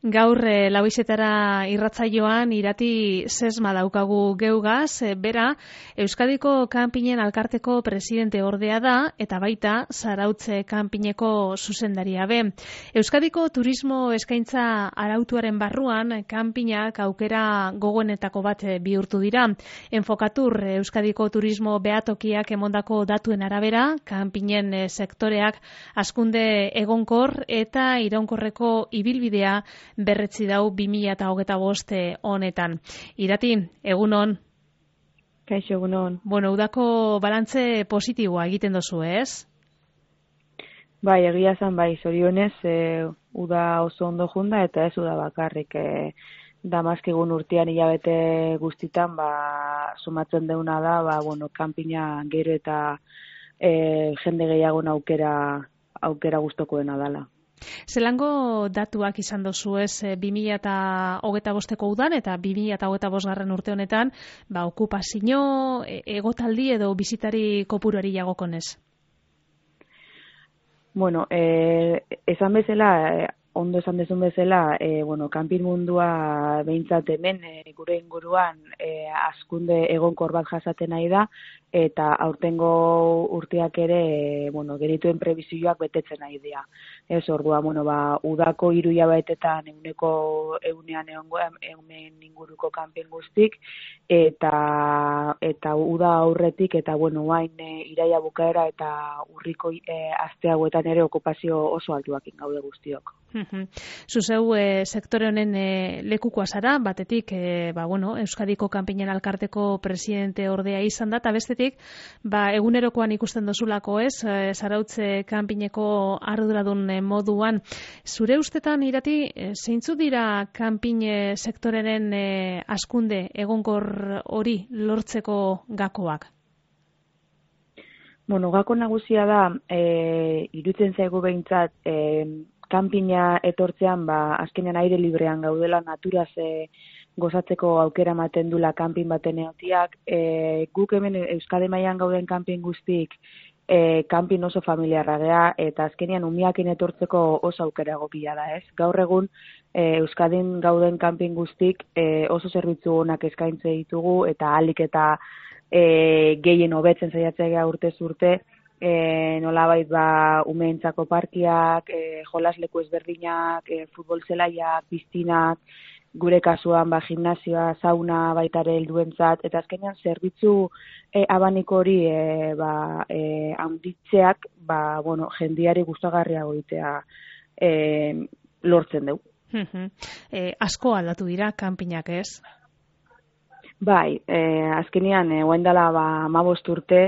Gaur lauizetara irratsaioan irati sesma daukagu geugaz, bera Euskadiko kanpinen alkarteko presidente ordea da eta baita Zarautze kanpineko zuzendaria be. Euskadiko turismo eskaintza arautuaren barruan kanpinak aukera gogoenetako bat bihurtu dira. Enfokatur Euskadiko turismo behatokiak emondako datuen arabera, kanpinen sektoreak hazkunde egonkor eta iraunkorreko ibilbidea berretzi dau 2025 honetan. Irati, egunon. Kaixo, egunon. Bueno, udako balantze positiboa egiten dozu, ez? Bai, egia zan, bai, zorionez, uda oso ondo junda eta ez uda bakarrik. Damazkigun urtean hilabete guztitan, sumatzen deuna da, kanpina gero eta jende gehiagon aukera gustokoena dala. Zelango datuak izan dozu ez 2025ko udan eta 2025 urte honetan, okupazio, egotaldi edo bizitari kopuruari jagokonez? Bueno, esan bezala, ondo esan dezun bezala, kanpin mundua behintzat hemen gure inguruan hazkunde egonkor bat jasaten nahi da, eta aurtengo urteak ere, genituen prebizioak betetzen nahi dira. Ez ordua, udako 3 hilabetetan ehuneko 100 egunen inguruko kanpin guztik, eta uda aurretik, eta hain iraila bukaera eta urriko aste hauetan ere okupazio oso altuakin gaude guztiok. Zuzeu sektore honen lekukoa zara, batetik Euskadiko kanpinen alkarteko presidente ordea izan da, eta bestetik egunerokoan ikusten dozulako ez, Zarautze kanpineko arduradun moduan. Zure ustetan, Irati, zeintzu dira kanpin sektoreren hazkunde egonkor hori lortzeko gakoak? Gako nagusia da, iruditzen zaigu behintzat, kanpina etortzean, azkenean aire librean gaudela, naturaz gozatzeko aukera ematen dula kanpin baten egotiak. Guk hemen Euskadi mailan gauden kanpin guztik, kanpin oso familiarra gea, eta azkenean umiakin etortzeko oso aukera egokia da, ez? Gaur egun Euskadin gauden kanpin guztik oso zerbitzu onak eskaintze ditugu, eta ahalik eta gehien hobetzen saiatzea urtez urte, nolabait umeentzako parkiak, jolasleku ezberdinak, futbol zelaiak, piztinak, gure kasuan gimnasioa, sauna baita ere helduentzat, eta azkenean zerbitzu abaniko hori handitzeak jendiari gustagarriago egitea lortzen dugu. Asko aldatu dira kanpinak, ez? Bai, azkenean, orain dela 15 urte,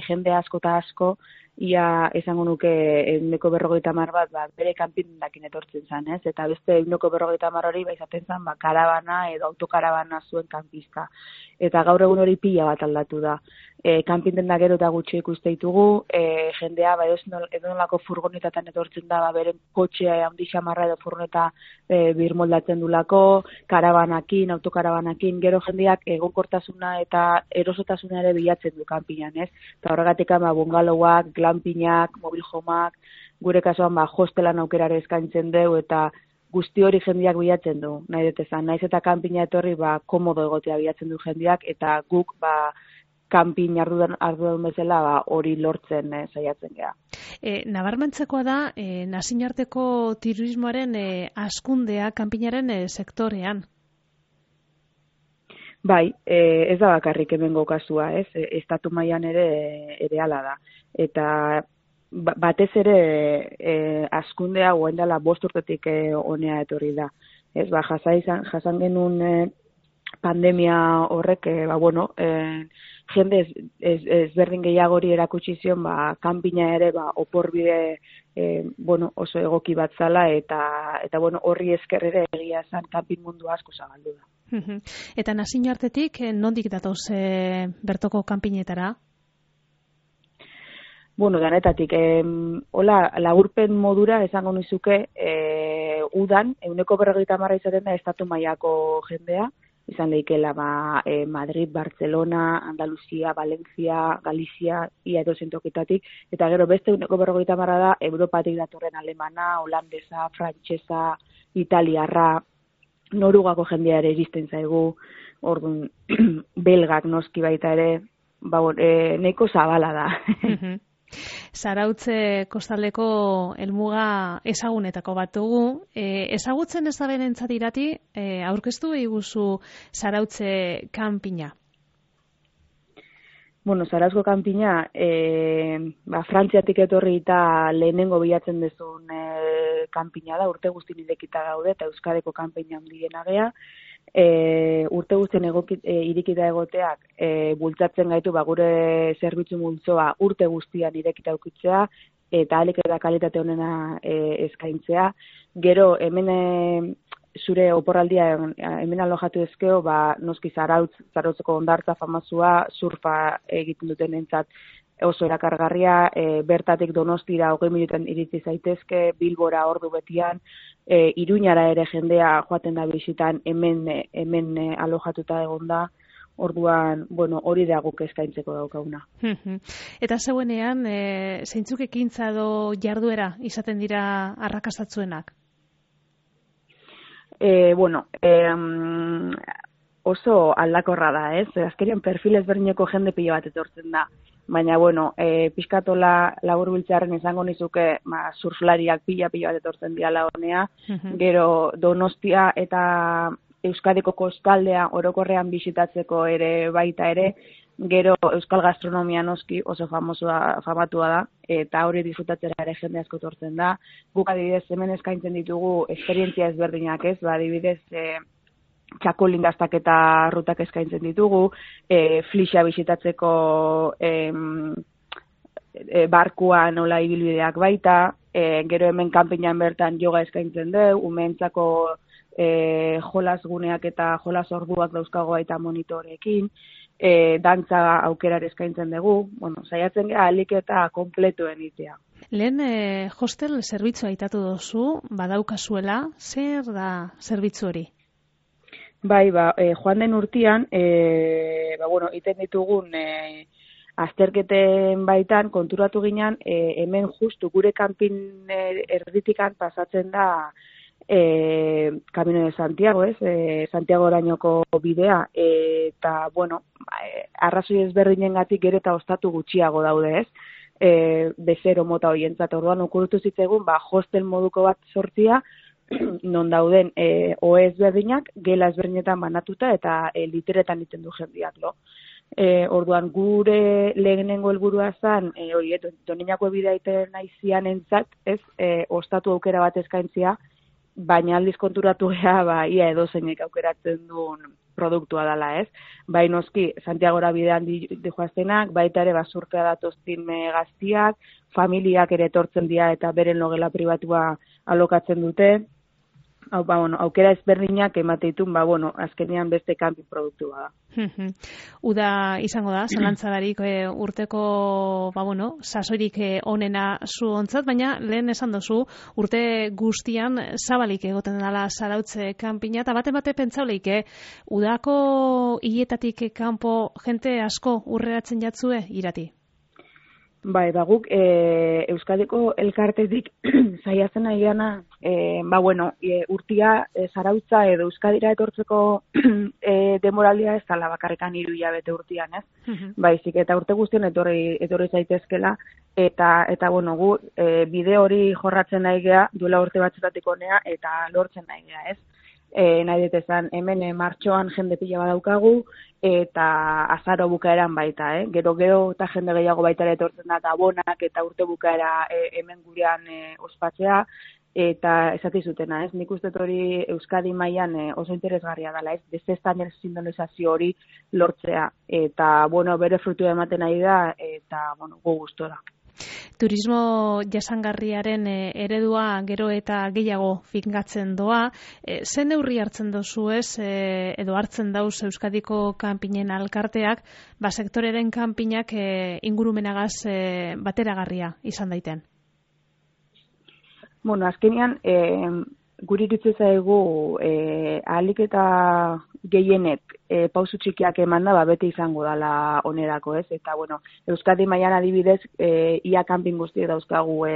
jende asko eta asko, ia esango nuke 150 bat bere kanpindakin etortzen zen, ez? Eta beste 150 hori izaten zen karabana edo autokarabana zuen kanpista. Eta gaur egun hori pila bat aldatu da. Kanpindendak gero eta gutxi ikuste ditugu, jendea edonolako furgonetatan etortzen da, beren kotxea handi xamarra edo furgoneta birmoldatzen dulako, karabanakin, autokarabanakin, gero jendeak egonkortasuna eta erosotasuna ere bilatzen du kanpinan, ez? Eta horregatik bungalowak, glampinak, mobil homak, gure kasuan hostelan aukerare eskaintzen dugu, eta guzti hori jendeak bilatzen du, nahi dut esan. Naiz eta kanpina etorri komodo egotea bilatzen du jendeak, eta guk kanpin arduradun bezala hori lortzen saiatzen gea. Nabarmentzekoa da, nazioarteko turismoaren hazkundea kanpinaren sektorean. Bai, ez da bakarrik hemengo kasua, ez? Estatu mailan ere hala da. Eta batez ere hazkundea orain dela 5 urtetik honea etorri da. Ez, jasan genuen pandemia horrek, jende ezberdin gehiagori erakutsi zion, kanpina ere oporbide oso egoki bat zala, eta horri esker ere egia esan kanpin mundu asko zabaldu da. Eta nazioartetik nondik datoz bertoko kanpinetara? Danetatik, laburpen modura esango nizuke, udan, 150 izaten da estatu mailako jendea, izan leikela Madrid, Barcelona, Andaluzia, Valencia, Galizia, ia edozein tokitatik, eta gero beste 150 da Europatik datorren alemana, holandesa, frantsesa, italiarra, Norugako jendea ere iristen zaigu, orduan belgak noski baita ere, nahiko zabala da. Zarautze kostaldeko helmuga ezagunetako bat dugu. Ezagutzen ez da berentzat irati, aurkeztu eguzu Zarautze kanpina. Bueno, Zarauzko kanpina, Frantziatik etorri eta lehenengo bilatzen dezun kanpina da, urte guztien irekita gaude, eta Euskadiko kanpina handiena gea. Urte guztien irikita egoteak bultzatzen gaitu gure zerbitzu multzoa urte guztian irekita eukitzea eta ahalik eta kalitate honena eskaintzea. Gero hemen zure oporraldia hemen alojatu ezkeo, noski Zarautzeko hondartza famazua, surfa egiten duten entzat oso erakargarria, bertatik Donostira 20 minutan iritsi zaitezke, Bilbora ordu betian, Iruñara ere jendea joaten da bisitan, hemen alojatuta egon da, orduan, hori da guk eskaintzeko daukaguna. Eta zeuenean, zeintzuk ekintza edo jarduera izaten dira arrakastatzuenak? Oso aldakorra da, ez? Azkerian perfil ezberdineko jende pila bat etortzen da. Baina, pixkatola laburbiltzearen izango nizuke, surflariak pila bat etortzen diala honea, gero Donostia eta Euskadiko kostaldea orokorrean bisitatzeko ere baita ere, gero Euskal gastronomia noski oso famatua da, eta hori disfrutatzera ere jende asko etortzen da. Guk adibidez hemen eskaintzen ditugu esperientzia ezberdinak, ez? Adibidez, txakolindaztak eta rutak eskaintzen ditugu, flixa bisitatzeko barkuan nola ibilbideak baita, gero hemen kanpinan bertan yoga eskaintzen dugu, umeentzako jolas guneak eta jolas orduak dauzkago baita monitorekin, dantza aukerar eskaintzen dugu, saiatzen gara ahalik eta kompletuen itea. Lehen hostel zerbitzua aitatu duzu, badaukazuela, zer da zerbitzu hori? Bai, joan den urtean, iten ditugun azterketen baitan konturatu ginen, hemen justu gure kanpin erditikan pasatzen da Camino de Santiago, ez? Santiago orainoko bidea, eta, arrazoi ezberdinengatik gero eta ostatu gutxiago daude, ez? Bezero mota horientzat, orduan okurritu zitzaigun, hostel moduko bat sortzia, non dauden ohe ezberdinak, gela ezberdinetan banatuta eta literetan egiten du jendeak, Orduan gure lehenengo helburua zen, Doninako bidea egiten naizian entzat, ez, ostatu aukera bat eskaintzia, baina aldiz konturatu gea, ia edozeinek aukeratzen duen produktua dela, ez? Bai noski, Santiagora bidean dijoaztenak, baita ere surfea datoztin gaztiak, familiak ere etortzen dira eta beren logela pribatua alokatzen dute. Aukera ezberdinak emateitun, azkenean beste kanpin produktua da. Uda izango da, zalantzadarik urteko, sasoirik onena zu ontzat, baina lehen esan dozu, urte guztian zabalik egoten dela Zarautze kanpina, eta bate pentsauleik, udako hiletatik kanpo jente asko urreratzen jatzue irati? Bai, guk Euskadiko elkartetik saiatzen nahi gana, urtia Zarautza edo Euskadira etortzeko demoraldia ez dela bakarrekan 3 hilabete urtian, ez? Baizik, eta urte guztien etorri zaitezkela, eta gu bide hori jorratzen nahi gea, duela urte batzutatik honea, eta lortzen nahi gea, ez? Nahi detezan, hemen martxoan jende pila badaukagu, eta azaro bukaeran baita, Gero eta jende gehiago baita ere etortzen da, eta bonak eta urte bukaera hemen gurean ospatzea, eta esatizutena, ez? Nik uste hori Euskadi mailan oso interesgarria dela, ez? Beste standardizazio hori lortzea, eta, bere frutua ematen nahi da, eta, gu gustora. Turismo jasangarriaren eredua gero eta gehiago finkatzen doa. Zen neurri hartzen dozu ez, edo hartzen dauz Euskadiko kanpinen alkarteak, sektoreren kanpinak ingurumenagaz bateragarria izan daiten? Azkenean, guri iritsi zaigu ahalik eta gehienek pausu txikiak eman da, beti izango dela onerako, ez? Eta, Euskadi mailan adibidez, ia kanpin guztiek dauzkagu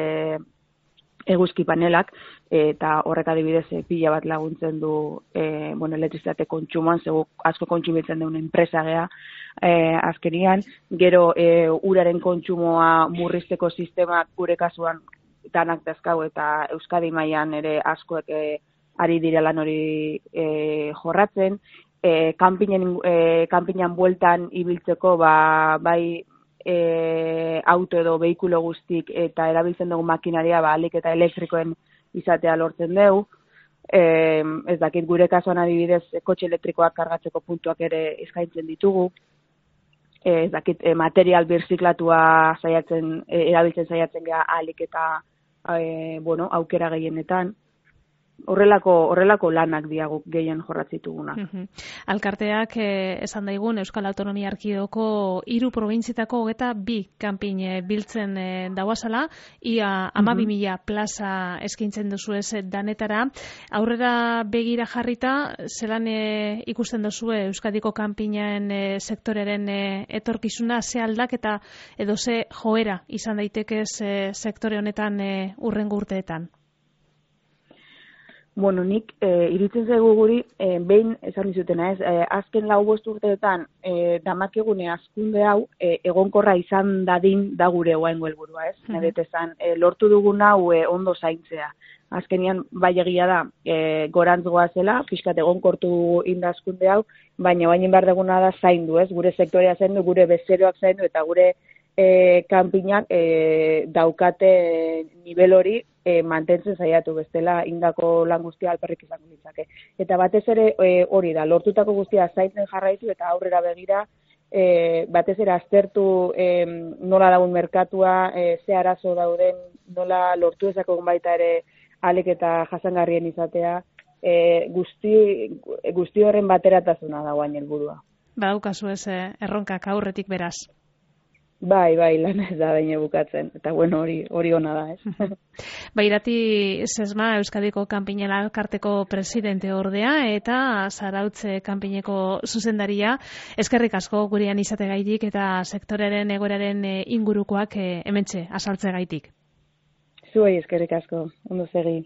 eguzki panelak, eta horrek adibidez pila bat laguntzen du elektrizitate kontsumoan, zego asko kontsumitzen duen enpresa gea azkenian, gero uraren kontsumoa murrizteko sistemak gure kasuan danak dazkau eta Euskadi mailan ere askoek ari dira lan hori jorratzen, kanpinan bueltan ibiltzeko bai auto edo behikulo guztik eta erabiltzen dugu makinaria ahalik eta elektrikoen izatea lortzen dugu. Ez dakit gure kasuan adibidez kotxe elektrikoak kargatzeko puntuak ere eskaintzen ditugu. Ez dakit material birziklatua erabiltzen saiatzen gea ahalik eta aukera gehienetan. Horrelako lanak diagu gehien jorratzituguna. Alkarteak esan daigun Euskal Autonomia Erkidegoko 3 probintzietako 22 kanpin biltzen dauazala, ia 12.000 plaza eskaintzen duzu ez danetara. Aurrera begira jarrita, zelan ikusten duzue Euskadiko kanpinen sektoreren etorkizuna, ze aldaketa edo ze joera izan daitekez sektore honetan hurrengo urteetan? Nik iruditzen zaigu guri, behin esan dizutena ez, azken 4-5 urteetan damakegune hazkunde hau egonkorra izan dadin da gure oraingo helburua, ez? Nedet esan, lortu dugun hau ondo zaintzea. Azkenian bai egia da, gorantz goazela, pixkat egonkortu indazkunde hau, baina baina behar duguna da zaindu, ez? Gure sektorea zaindu, gure bezeroak zaindu eta gure kanpinak daukate nivel hori mantentzen saiatu bestela indako lan guztia alperrik izango litzake. Eta batez ere hori da, lortutako guztia zaintzen jarraitu eta aurrera begira batez ere aztertu nola dagoen merkatua, ze arazo dauden, nola lortu ezakogun baita ere ahalik eta jasangarrien izatea, guzti horren bateratasuna dagoen helburua. Badaukazu ez erronkak aurretik beraz. Bai, lan ez da baina bukatzen. Eta hori ona da, ez? Irati Sesma, Euskadiko kanpinen alkarteko presidente ordea eta Zarautze kanpineko zuzendaria. Eskerrik asko gurean izategaitik eta sektoreren egoeraren ingurukoak hementxe azaltzegaitik. Zuei eskerrik asko, ondo segi.